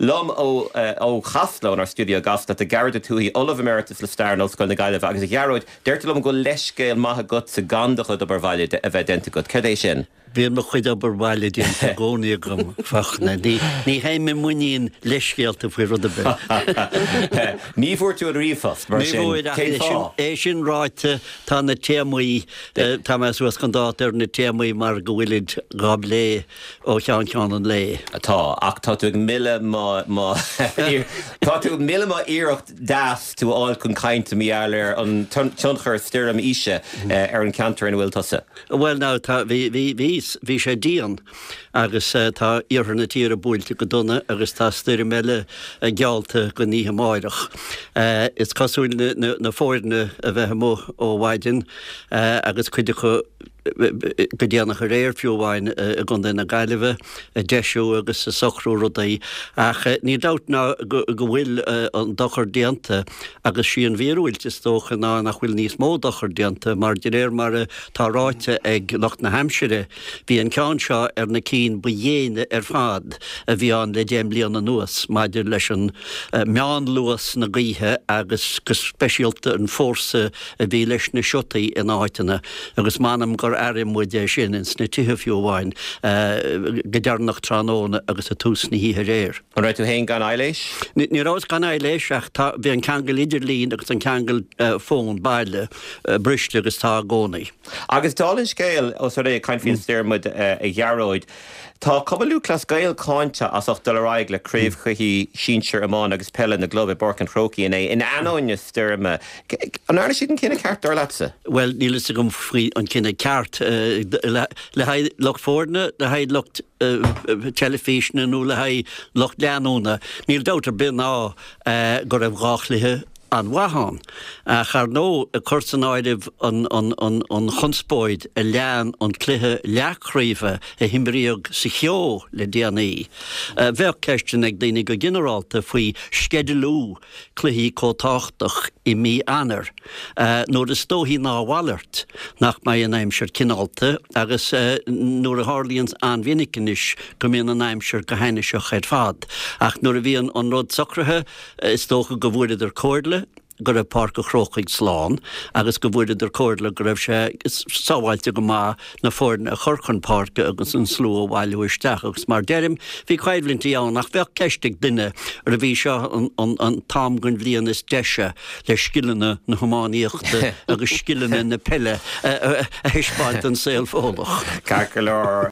Liom ó Chasla, ónár stiúideo i gCasla, tá Gearóid Ó Tuathaigh, Ollamh Emeritus le Stair in Ollscoil na Gaillimhe. Agus a Ghearóid, deirtear liom go bhfuil leithscéal maith agatsa gan do chuid obair bhaile a bheith déanta agat. Céard é sin? Bíonn mo chuid obair bhaile déanta i gcónaí agam, Fachtna. Ní théim i muinín leithscéalta faoi rud ar bith. Ní bhfuair tú an ríomhphost, mar sin. Ní bhfuair, ach é sin ráite, tá na téamaí, tá mé suas chun dáta ar na téamaí mar go bhfuilid dhá bplé ó cheann ceann an lae. Tá, ach tá tú ag milleadh mo, mo, tá tú ag milleadh mo iarracht deas tú a fháil chun cainte mar gheall ar an tionchar stoirm Isha ar an cheantar ina bhfuil tusa. Bhuel now, tá, bhí, bhí, bhí, bhí sé dian agus tá iarthar na tíre buailte go dona agus tá stoirm eile geallta don oíche amáireach. Is cosúil na, na, na foirne a bheith amuigh ó mhaidin agus cuid acu, go déanach aréir fiú amháin i gContae na Gaillimhe, ag deisiú agus ag socrú rudaí. Ach níl dabht ná go bhfuil an dochar déanta agus sí an mhíorúilt is dócha ná nach bhfuil níos mó dochar déanta mar de réir mar atá ráite ag lucht na haimsire, bhí an ceann seo ar na cinn ba dhéine ar fad a bhí ann le deich mbliana anuas maidir leis an meánluas na gaoithe agus go speisialta an fórsa a bhí leis na siotaí in áiteanna agus m'anam gur airigh muid é sin ins na tithe fiú amháin go deireanach tráthnóna agus i tús na hoíche aréir. An raibh tú féin gan aidhléis? Ní rabhas gan aidhléis ach tá, bhí an ceangal idirlín agus an ceangal fón baile briste agus tá i gcónaí. Agus dála an scéil, ós rud é ag caint faoin stoirm muid a Ghearóid, Tá Cumann Lúthchleas Gael cáinte as ucht dul ar aghaidh le craobhchluichí sinsir iomána agus peile na gclub i bPáirc an Chrócaigh inné, in ainneoin na stoirme. An ndearna siad an cinneadh ceart, dar leatsa? Bhuel, níl fhios agam faoi an cinneadh ceart. Le haghaidh lucht foirne, le haghaidh lucht teilifíse nó le haghaidh lucht leanúna, níl dabht ar bith ná go raibh dhá chluiche an-mhaith ann. Ach ar ndóigh, ag cur san áireamh an chonspóid a lean an cluiche leathchraoibhe a himríodh sa cheo le déanaí, bheadh ceisteanna ag daoine go ginearálta faoi sceidealú cluichí chomh tábhachtach i mí Eanáir, nuair is dóichí ná a mhalairt nach mbeidh an aimsir cineálta agus nuair a tharlaíonn an-mhinic anois go mbíonn an aimsir go hainniseach ar fad. Ach nuair a bhí an rud socraithe, Is dócha go bhfuaireadar comhairle go raibh Páirc an Chrócaigh slán agus go bhfuaireadar comhairle go raibh sé sábháilte go maith na foirne a chur chun páirce agus an slua a bhailiú isteach agus mar deirim, bhí coimhlintí ann ach bheadh ceist ag duine arbh í seo an t-am den bhliain is deise le scileanna na hiománaíochta agus scileanna na peile a thaispeáint don saol Fódlach. Ceart go leor.